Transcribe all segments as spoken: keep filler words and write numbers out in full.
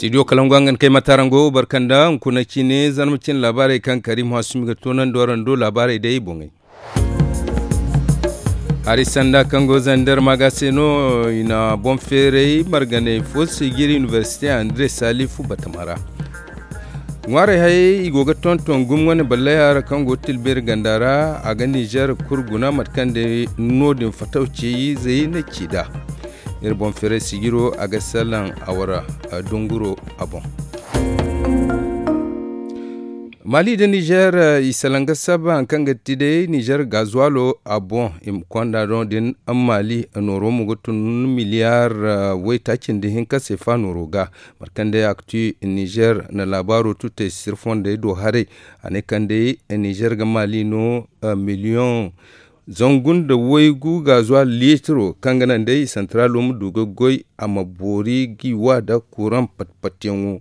Studio kalangu a nga ni kay matarango barkanda hunkuna cine zarma cine laabaarey kaŋ karimu hasumi ga toonandi waraŋ do laabaarey day i boŋey. Hari sanda kaŋ go zander maga se no i na boŋ feeray marganey fo sijiri inibersite andre salifu batama ra. Ŋwaarey hayey i go ga tonton gumŋwane ballayara kaŋ go tilbeeri ganda ra a ga nizer kuru guna mate kaŋ day no- din fataw ceeyizey na ci nd'a. Iri boŋ feeray sijiro a ga salaŋ a wara dunguro a boŋ. Mali nda nizer i salaŋ ga saba hari kaŋ ga ti day nizer gazuwalo a boŋ i ma konda no- din mali nooro mo ga tun miliyar waytaaci nda hinka seefa nooro ga. Mate kaŋ day a ga ti nizer na laabaaro tutey sirfondey do haray a ne kaŋ day nizer ga mali no miliyoŋ zangu nda waygu gazuwal litiro kaŋ ga naŋ day santaraalo ma du ga goy a ma boori g'i wa nda kuraŋ pat-patyaŋo.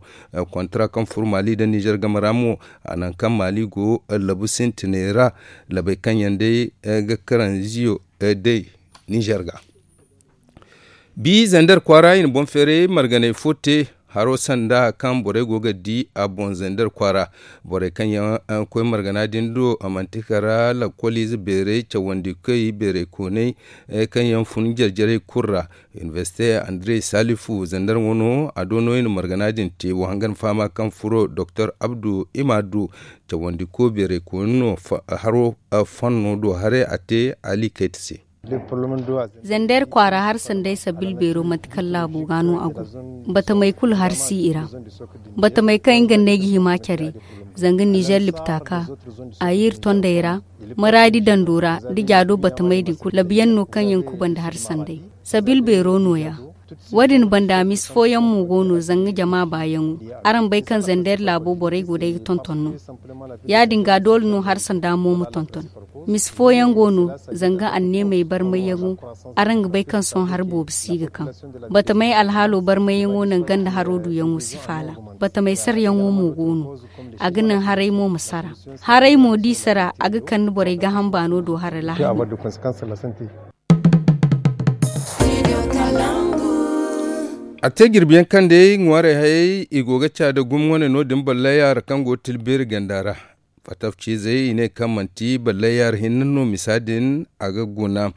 Kontara kaŋ furo mali nda nizer game ra mo a naŋ kaŋ mali go labu sintinay ra labey kaŋ yaŋ day ga karanziyo day nizer ga. Bi zander kwaara i na boŋ feeray marganey fo te haro sanda kaŋ borey go ga di a boŋ zander kwaara. Borey kaŋ yaŋ koy margana din do manti kara lakkoliize beerey cawandikoy beerey koonay kaŋ yaŋ fun jare-jarey kulu ra. Inibersite andre salifu zander wano a do no i na margana din te wo hangan fahama kaŋ furo doktor abdu imadu cawandiko beerey koonay no haro fanno do haray a te ali kayta se. Zander kwaara har sanday sabil beero mate kaŋ laabo ga no a go. Batamey kulu har si i ra. Batamey kaŋ nga ne ga hima care zanga nizer lipta ka a yir tondey ra maraadi dando ra da jaado batamey din kulu labiyaŋ no kaŋ yaŋ kubanda har sanday sabil beero no- ya. Wo- din banda misi fooyaŋ mo go no zanga jama baayaŋo. Araŋ bay kaŋ zander laabo borey go day ga tonton no. Ya- din ga doole no har sanda mo ma tonton. Misi fooyaŋ go no zanga anneemey barmayyaŋo. Araŋ ga bay kaŋ sohõ hari boobo si ga kaŋ batamey alhaalo barmayyaŋo naŋ ganda haro duyaŋo si faala. Batamey saryaŋo mo go no. A ga naŋ haray mo ma sara. Haray mo d'i sara a ga kande borey gaham baano do hara lahani. A te jirbi yaŋ kaŋ day ŋwaarey hayey i go ga ca nda gumo wane no- din ballayar kaŋ go ga tila beeri ganda ra. Fatafciizey i ne kaŋ manti ballayar hinne no misa din a ga guna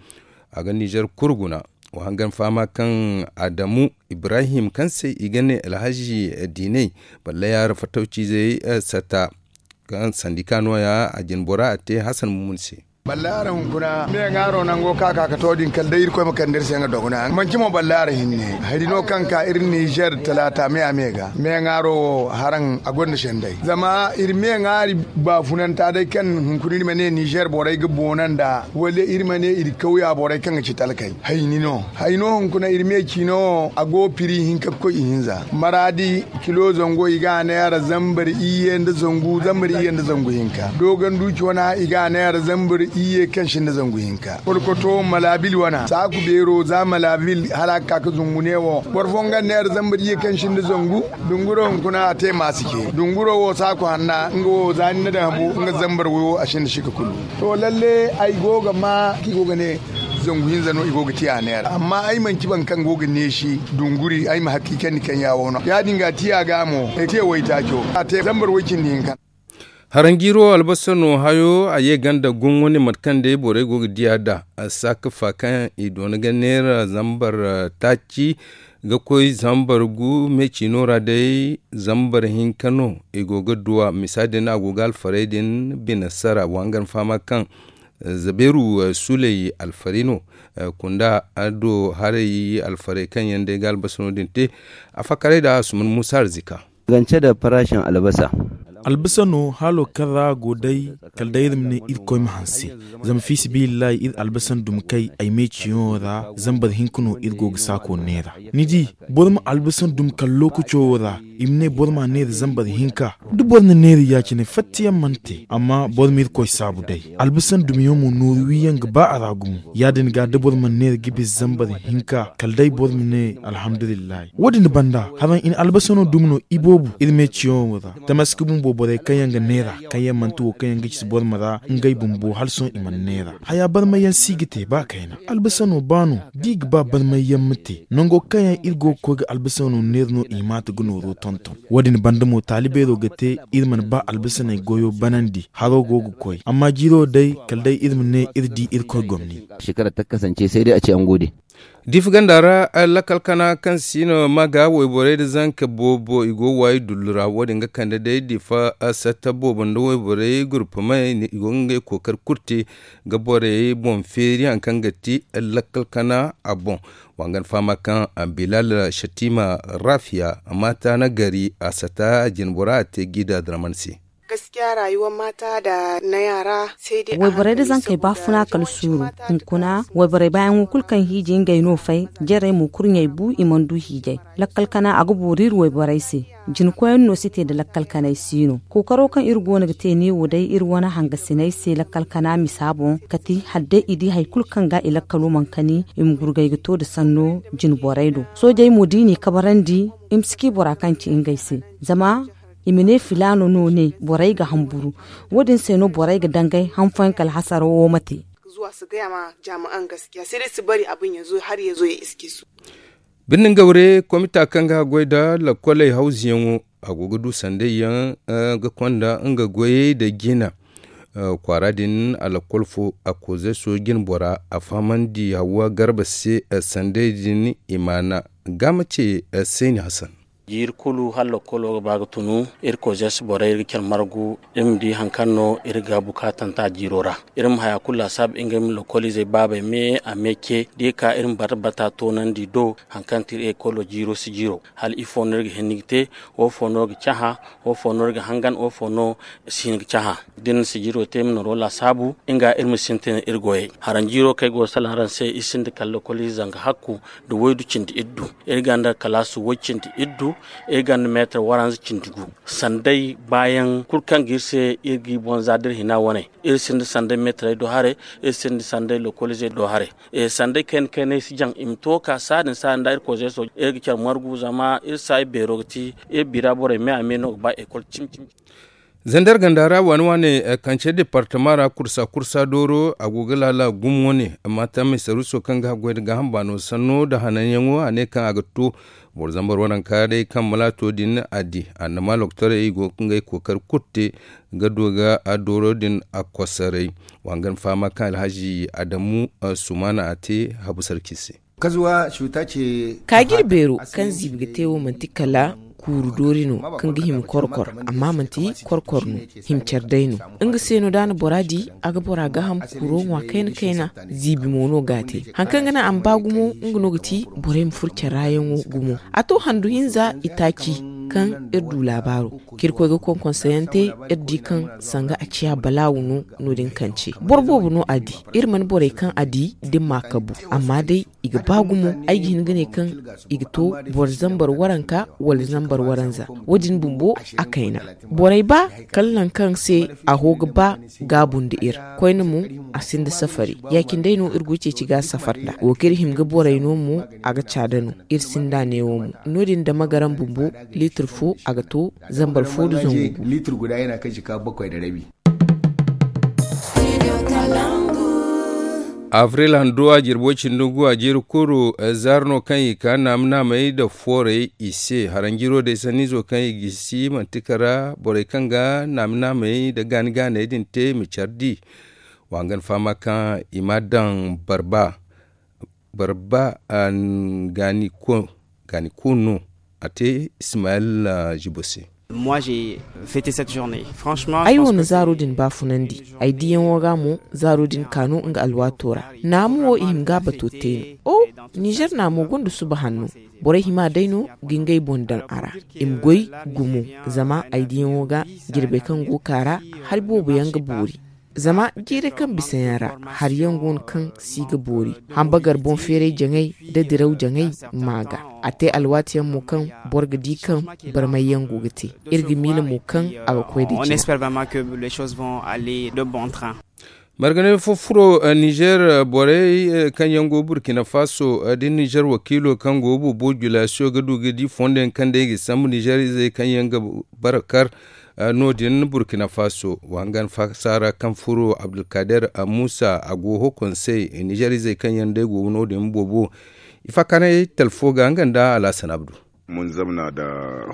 a ga nizer kulu guna. Wa hangan fahama kaŋ adamu ibrahim kaŋ se i ga ne alhazi diiney ballayar fatafciizey sata kaŋ sandika nooya a jinbora a te hasan mumun se. Ballaara hunkuna me ŋaaro nango ka ka ka to din kala day irkoy ma kande iri se nga dogona manci mo ballaara hinne. Hari no kaŋ ka iri nizer talaata me a me ga me ŋaaro wo haraŋ a gonda senday zama iri me ŋaari baafunanta day kaŋ hunkuna iri ma ne nizer borey ga boona nda wala iri ma ne iri kawya borey kaŋ ga ci talkey. Hayni no hayno hunkuna iri me ciino wo a go piri hinka ga koy ihinza maraadi kilo zango i ga a neera zambar iyye nda zangu zambar iyye nda zangu hinka dogon duuci wana i ga a neera zambar iyye kaŋ sinda zangu hinka kolkoto malabil wana saaku beero za malabil hala a ga ka ga zungu ne wo boro fo nga neera zambar iyye kaŋ sinda zangu dunguro hunkuna a te maasi ce dunguro wo saaku hanna nga wo za ni na daŋ habo nga zambar wo a sinda sika kulu. To lalle ay go ga ma kaŋ i go ga ne zangu hinza no i go ga tiya neera amma ay manci boro kaŋ go ga neesi dunguri ay ma hakiikandi kaŋ ya wo no ya- din ga tiya ga mo ay te waytaaco a te zambar way cindi hinka. Haranjiiro albasa no hayo a ye ganda gumo ne mate kaŋ day borey go ga diya nd'a. Saakafa kaŋ i doona ga neera zambar taaci ga koy zambar gu me ciino ra day zambar hinka no i go ga duwa misa din a go ga alfarey din bine sara wa hangan fahama kaŋ zabeeru suley alfari no. Kunda do haray alfarey kaŋ yaŋ day ga albasa no- din te a fakaray nd'a asuman muusa arzika. Gance da farashin albasa. Albasa no haalo kaŋ ra a go day kala day iri ma ne irkoy ma hanse. Zama fi sabilillahi iri albasan dumi kay ay me ciyaŋo ra zambar hinka no iri go ga saako neera. Ni di boro ma albasan dumi kala lookaco wo ra i ma ne boro ma neera zambar hinka. Da boro na neera ya- cine fatta yaŋ mana te amma boro ma irkoy saabu day albasan dumiyaŋ mo nooru wi yaŋ ga ba a ra gumo. Ya- din ga da boro mana neera ga bisa zambar hinka kala day boro ma ne alhamdulillahi. Wo- din banda haraŋ i na albasano dumi no iboobu iri me ciyaŋo ra. Tamaski bumbo. Borey kaŋ yaŋ ga neera kaŋ yaŋ manti wo kaŋ yaŋ ga ci borma ra ngey bumbo hala sohõ i mana neera. Haya barmay yaŋ si ga te ba kayna albasa no ba no da i ga ba barmay yaŋ ma te nango kaŋ yaŋ iri go ga koy ga albasa no neera no i maata ga nooro tonton. Wo- din banda mo taali beero ga te iri mana ba albasaney goyo banandi haro go ga koy amma jiiro day kala day iri ma ne iri di irkoy gomni. Shekara ta kasance sai dai a ce an gode. Difa ganda ra lakkal kana kaŋ si no ma ga wayborey nda zanka boobo i go ga waayi dullu ra wo- din ga kande day difa satta boobo nda wayborey gurpumey i go ga ngey kookari kulu te ga borey boŋ feeri hari kaŋ ga ti lakkal kana a boŋ. Wa ga ni fahama kaŋ bilal shatima rafiya maata na gari a satta jinbora a te gida draman se. Gaskiya rayuwar mata da na yara sai dai a wayborey da hankali zankey ba saboda funa kala yawanci suuru mata da hunkuna wayborey baayaŋo kulu kaŋ hiiji ngey no fay jarey mo kurɲey bu i mana du hiijay. Lakkal kana a ga boori iri wayborey se. Jinkoyaŋ no si te nda lakkal kanay si no kookaro kaŋ iri go no ga te neewo day iri wane hangasiney se lakkal kana misa boŋ kati hala day i di hari kulu kaŋ ga i lakkalo mana kani i ma gurgay ga to nda sanno jinborey do. Soojey mo da i n'i kabarandi i ma si ci bora kaŋ ci ngey se. Zama i ma ne filaano no ne borey ga hamburu. Wo- din se no borey ga dangay han fooyaŋ kala hasaro wo ma te. Zuwa si gaya ma jaami'an gaskiya sai dai si bari abin ya zo har ya zo ya iske su. Birnin gawre komita kaŋ ga goy nda lakkoley hawzuyaŋo a go ga du sanday yaŋ ga konda nga goyey nda jina. Kwaara din a lakkol fo a koozey sooji jinbora a fahamandi hawwa garba se sanday din i maana. Ga ma ce sayni hasan. Jiiri kulu hala lakkolo ga ba ga tunu iri koozey borey iri ga care margu iri ma di hari kaŋ no iri ga bukaatanta jiiro ra. Iri ma haya kulu laasaabu ngey ma lakkoliizey baabey me a me ce da i ka iri ma bata bata toonandi do hari kaŋ ti iri ekolo jiiro si jiiro hala ifo no iri ga hinne ga te? Wo fo no ga cahã? Wo fo no iri ga hangan wo fo no si hin ga cahã? Da iri na sijiro te iri ma noro laasaabu nga iri ma sintin iri goyey. Haranjiiro kaŋ ay go ga salaŋ araŋ se iri sinda kala lokoliize zanga hakku nda waydu cindi iddu. Iri gonda kalaasu way cindi iddu. Iri gonda meetar waranza cindi gu. Sanday baayaŋ kulu kaŋ ga iri se iri g'i boŋ za da iri hina wane. Iri sinda sanday meetarey do haray. Iri sinda sanday lokoliizey do haray. Sanday kayna kaynay si jaŋ i ma to ga ka saadin saadin da iri koozey sooje iri ga care margu zama iri saayi beero ga ti iri bira borey me a me no ga ba ekol cimi cimi. Zandar ganda ra waane waane kance departama ra kursa kursa dooro a go ga laala gumo ne. Maata maysaruso kaŋ ga haggoy nda gaaham baano sanno nda hananyaŋo a ne kaŋ a ga to boro zambar waranka day kaŋ malaato din a di annama loktorey i go ga ngey kookari kulu te ga du ga dooro din a kosaray. Wa hangan fahama kaŋ alhazi adamu sumaana a te habu sarki se. Kaajir beero kaŋ ziibi ga te wo manti kala kuuru doori no kaŋ ga hima korkor amma manti korkor no. Hima care day no. Nga se no da a na bora di a ga bora gaaham kuuro ŋwa kayna kayna. Ziibi mo no ga a te hari kaŋ ga naŋ a ma ba gumo nga no ga ti borey ma furo care ra yaŋo gumo. A to handu hinza itaaci kaŋ iri du laabaaro ka iri koy ga konkonsayante iri di kaŋ sanga a ciya balaawu no. No- din kance boro boobo no a di. Iri mana borey kaŋ a di da ni ma a kabu amma day i ga ba gumo. Ay ga hin ga ne kaŋ i ga to boro zambar waranka wala zambar waranza. Wo- din bumbo a kayna. Borey ba kala nangu kaŋ se a ho ga ba gaabu nda iri koyne mo a sinda safari. Ya- cine day no iri go ga ceeci ga safar nd'a wo kaŋ iri hima ga borey no mo a ga caada no. Iri sinda neewo mo no- din dama garaŋ bumbo liitir fo a ga to zambar fo nda zangu gu. Liitir guda yana kaŋ jika bakoy nda rabi. Abril hando a jirbo cindi gu a jiiri kuru zaari no kaŋ i ka naama naamey nda foorey i se haranjiro day sanniizo kaŋ i gisi manti kara borey kaŋ ga naama naamey nda gaani gaaney din te i ma care di. Wa hangan fahama kaŋ i ma a daŋ barba barba gaani ko gaani ko no. A te ismayil jibo se. Ay wo na zaaro din baafunandi. Ay diyaŋo ga mo zaaro din ka no nga alwaato ra. Naamu wo i hima ga a bato te no. O, nizer naamo gonda suba hanno. Borey hima day no ga ngey boŋ daŋ a ra. I ma goy gumo. Zama ay diyaŋo ga jirbey kaŋ go ga ka ra hari boobo yaŋ ga boori. Zama jiirey kaŋ bisa yaŋ ra hari yaŋ go no kaŋ si ga boori. Hambagar boŋ feeray jaŋay nda diraw jaŋay ma ga. A te alwaati yaŋ mo kaŋ boro ga di kaŋ barmay yaŋ go ga te. Iri ga miila mo kaŋ a ga koy nda jina. Marganay fo furo nizer borey kaŋ yaŋ go burkina faso da nizer wakiilo kaŋ go boobo julasiyo ga du ga di fondo yaŋ kaŋ day ga sambu nizer izey kaŋ yaŋ ga bara kar. no- din burkina faso wa hangan fasaara kaŋ furo abdulkader muusa a go ho konsey nizeer izey kaŋ yaŋ day go no- din boobo. Ifakaray talfo ga nga nda alhasan abdu. Mun zamna da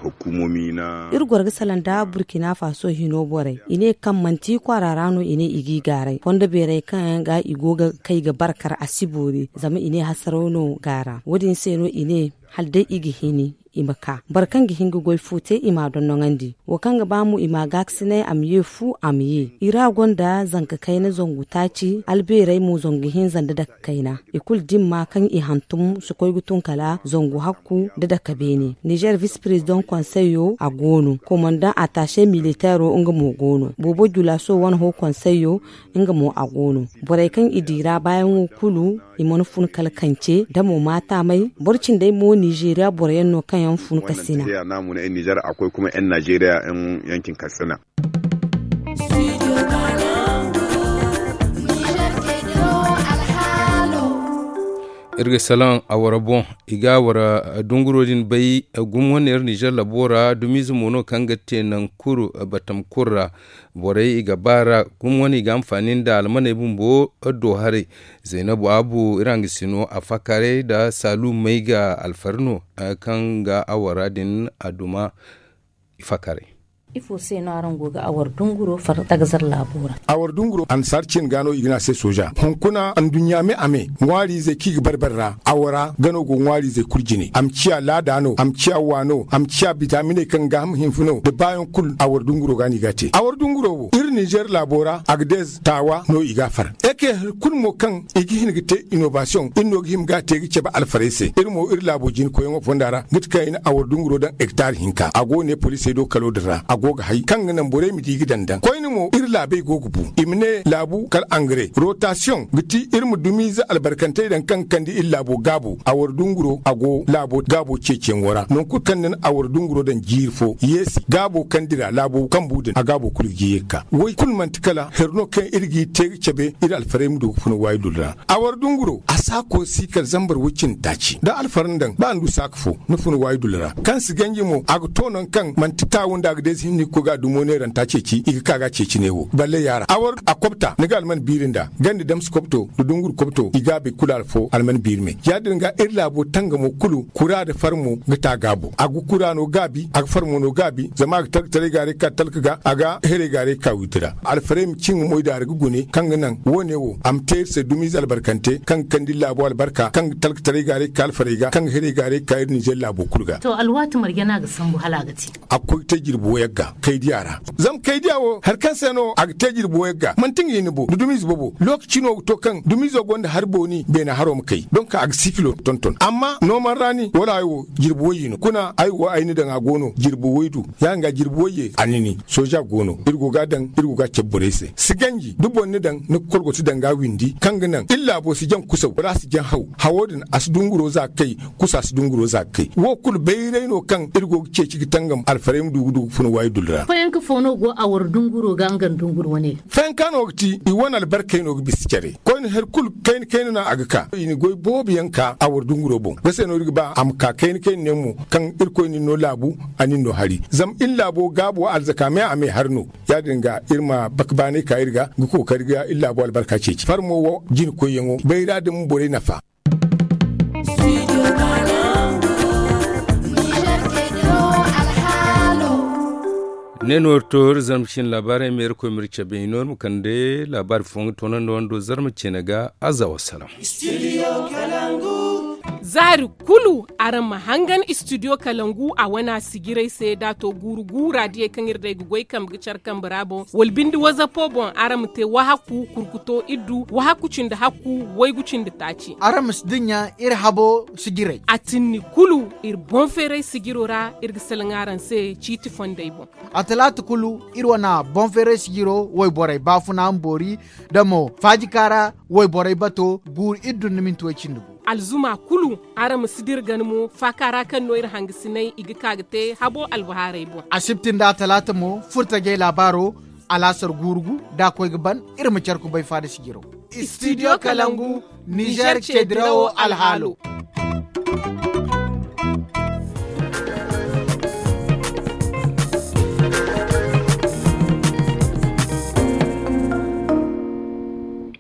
hukumomi na iri goro ga salaŋ da burkina faso hino borey i ne kaŋ manti kwaara ra no i ne i g'i gaaray fondo beerey kaŋ yaŋ ga i go ga kay ga barkar a si boori zama i ne hasaraw no gaara wo- din se no i ne hala day i ga hini i ma ka boro kaŋ ga hin ga goy fo te i m'a dondoŋandi. Wo kaŋ ga ba mo i m'a gaakasinay a ma ye fu a ma ye i ra gonda zanka kayna zangu taaci albeerey mo zangu hinza nda dake kayna. I kulu dimma kaŋ i hantum si koy ga tun kala zangu hakku nda dake beene nizeer visi perezidaŋ konseyo a go no komandaŋ ataase militeero nga mo go no boobo julaso wane ho konseyo nga mo a go no. Borey kaŋ i di ra baayaŋo kulu i mana fun kala kance da mo maataamay boro cindey mo nizeeriya boro yaŋ no kaŋ yaŋ fun kasina. Nizeeriya no a muna ay nizeer a koy kuma yan nizeeriya yan yankin kasina. Iri ga salaŋ a wara boŋ i ga a wara dunguro din bay. Gumo wane iri nizeer labo ra dumiize mo no kaŋ ga te naŋ kuru batam kulu ra. Borey i ga baara gumo wane i ga hanfaani nda almaney bumbo do haray. Zaynabu abu iri hangasino a fakaray nda saalu may ga alfari no kaŋ ga a wara din a duma. Ifakaray. Ifo se no araŋ go ga awar dunguro far tagazar laabo ra? Awar dunguro annasaara cin ga no i ga ne a se sooja hunkuna anduɲɲa me a me ŋwaari izey kaŋ i ga barbari ra awara gano go ŋwaari izey kulu jine a ma ciya laada no a ma ciya wa no a ma ciya bitaaminey kaŋ ga gaaham hinfu no nda baayaŋ kulu awar dunguro ga no i ga a te awar dunguro wo iri ninzeer laabo ra a ga deez taawa no i ga a far. Eke hari kulu mo kaŋ i ga hin ga te inobasiyoŋ iri no ga hima ga a te ga cabe alfarey se iri mo iri laabo jina koyyaŋo fonda ra ga ti kaŋ i na awar dunguro daŋ hektar hinka a go ne poliisey do kalo din ra a go ga hay kaŋ ga naŋ borey ma di ga daŋ daŋ koyne mo iri laabey go ga bu i ma ne laabu kala angare rotasiyoŋ ga ti iri ma dumiize albarkantey daŋ kaŋ ga kande iri laabo gaabo awar dunguro a go laabo gaabo ceeciyaŋo ra nangu kulu kaŋ ni na awar dunguro daŋ jiiri fo yeesi gaabo kaŋ dira laabo kambu din a gaabo kulu ga ye ga ka way kulu manti kala hari no kaŋ iri g'i te ga cabe iri alfarey ma du ga funa waayi dullu ra. Awar dunguro a saako si kala zambar way cindi taaci da alfara ni daŋ ba ni du saaka fo ni funa waayi dullu ra kaŋ si ganji mo a ga to nangu kaŋ manti taawu nda a ga deesi hinne ga koy ga a dumo neeranta ceeci i ga ka ga a ceeci ne wo balle yaara awar a kobta ni ga alman biiri nda ganda damsi kobto nda dunguru kobto i gaabey kulu alfo alman biiri me ya- din ga iri laabo tangamo kulu kura nda farmo ga ta gaabo a ga kura no gaabi a ga farmo no gaabi zama a ga talkataray gaaray ga ka talka ga a ga heray gaaray ga ka wiiti ra alfarey ma ci nga moy daara ga gune kaŋ ga naŋ wo- ne wo a ma te iri se dumiize albarkante kaŋ ga kande iri laabo albarka kaŋ ga talkataray gaaray ga ka alfarey ga kaŋ ga heray gaaray ga ka iri ninzeer laabo kulu ga. To alwaati marje no a ga sambu hala a ga te a ga koy ga te jirbi wayyaŋ ga kaydiya ra zama kaydiya wo hari kaŋ se no a ga te jirbi wayyaŋ ga manti nga hinne bo nda dumiize boobo lookaci no ga to kaŋ dumiizo gonda hari booni beena haro ma kay donk a ga sikilo tonton amma nooman raani wala hayo wo jirbi wayye no kuna ay wo ay ni daŋ a go no jirbi waydu ya- din ga jirbi wayye a ni ni sooja go no iri go ga a daŋ iri go ga a cabe borey se si ganji da boro ni daŋ ni ga kolgoti daŋ ga a windi kaŋ ga naŋ iri laabo si jaŋ kusaw wala a si jaŋ haw hawo din a si dunguro za ga kay kusa si dunguro za ga kay wo kulu bayray no kaŋ iri go ga ceeci ga tangam alfarey ma du ga du ga funa waayi dullu ra. Fayanka fo no go a war dunguro ga nga nda dunguro wane ga fayanka no ga ti i wane albarkey no ga bisa care koyne hari kulu kayna kayna no a ga ka i na goy boobo yaŋ ka a war dunguro boŋ nga se no iri ga ba a ma ka kayna kayna ne mo kaŋ irkoy na ni no laabu a na ni no hari zama iri laabo gaabo alzaka me a me hari no ya- din ga iri ma baka baanay ka iri ga ga kookari ga iri laabo albarka ceeci farmo wo jina koyyaŋo bayra din ma borey nafa. Ne no iri to iri zarma ciine laabaarey ma iri koy ma iri cabe i no iri ma kande laabaari fooyaŋ ga toonandi wando zarma ciine ga aza wasalaŋ. Zaari kulu araŋ ma hangan istidiyo kalangu a wana sijirey se da a to guuru guura diyey kaŋ iri day ga goy kambe ga care kambe ra boŋ wala binde wazapo boŋ araŋ ma te wahakku kurkuto iddu wahakku cindi hakku waygu cindi taaci. Araŋ ma si dinya iri habo sijirey a tinni kulu iri boŋ feeray sijiro ra iri ga salaŋ araŋ se ciiti fondey boŋ. A talaata kulu iri wana boŋ feeray sijiro wayborey baafuna ma boori da mo faajika ra wayborey bato guuru iddu nda minti way cindi gu. Alzuma kulu araŋ ma si dira gana mo faaka ra kaŋ no iri hangasinay i ga ka ga te habo albahaarey boŋ. Asibti nda atalaata mo furtajey laabaaro alaasar guuru gu da a koy ga ban iri ma care kubay faada sijiro. Istidiyo kalangu nizeer ceedirawo alhaalo.